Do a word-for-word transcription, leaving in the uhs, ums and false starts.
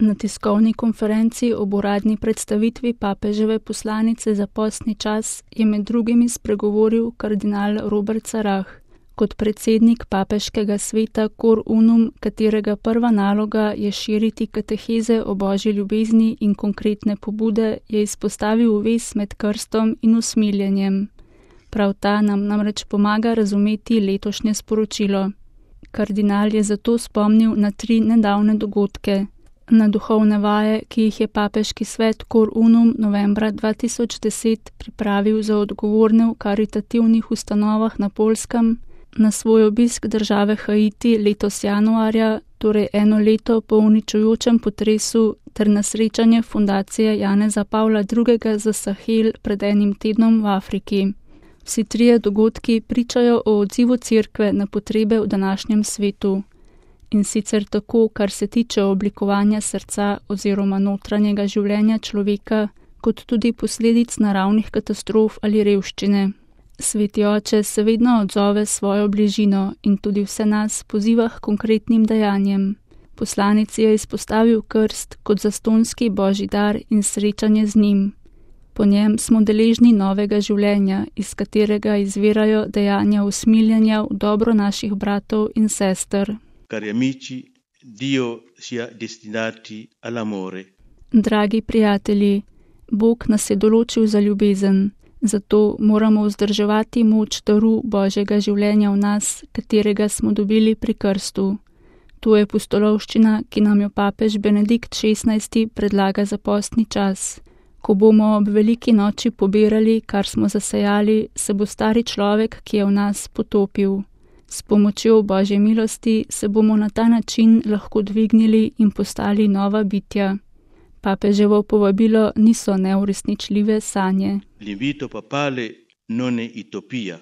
Na tiskovni konferenci ob uradni predstavitvi papeževe poslanice za postni čas je med drugimi spregovoril kardinal Robert Sarah. Kot predsednik papeškega sveta Cor Unum, katerega prva naloga je širiti kateheze o božji ljubezni in konkretne pobude, je izpostavil vez med krstom in usmiljenjem. Prav ta nam namreč pomaga razumeti letošnje sporočilo. Kardinal je zato spomnil na tri nedavne dogodke. Na duhovne vaje, ki jih je papeški svet Cor Unum novembra dva tisoč deset pripravil za odgovorne v karitativnih ustanovah na Poljskem, na svoj obisk države Haiti letos januarja, torej eno leto po uničujočem potresu, ter na srečanje fundacije Janeza Pavla drugega za Sahel pred enim tednom v Afriki. Vsi trije dogodki pričajo o odzivu cerkve na potrebe v današnjem svetu. In sicer tako, kar se tiče oblikovanja srca oziroma notranjega življenja človeka, kot tudi posledic naravnih katastrof ali revščine. Sveti oče se vedno odzove svojo bližino in tudi vse nas poziva k konkretnim dejanjem. Poslanec je izpostavil krst kot zastonski božji dar in srečanje z njim. Po njem smo deležni novega življenja, iz katerega izvirajo dejanja usmiljenja v dobro naših bratov in sester. Cari amici, Dio sia destinati all'amore. Dragi prijatelji, Bog nas je določil za ljubezen, zato moramo vzdrževati moč daru Božjega življenja v nas, katerega smo dobili pri krstu. To je pustolovščina, ki nam jo papež Benedikt šestnajsti predlaga za postni čas. Ko bomo ob veliki noči pobirali, kar smo zasejali, se bo stari človek, ki je v nas, potopil. S pomočjo Božje milosti se bomo na ta način lahko dvignili in postali nova bitja. Papeževo povabilo niso neuresničljive sanje. L'invito papale non è utopia,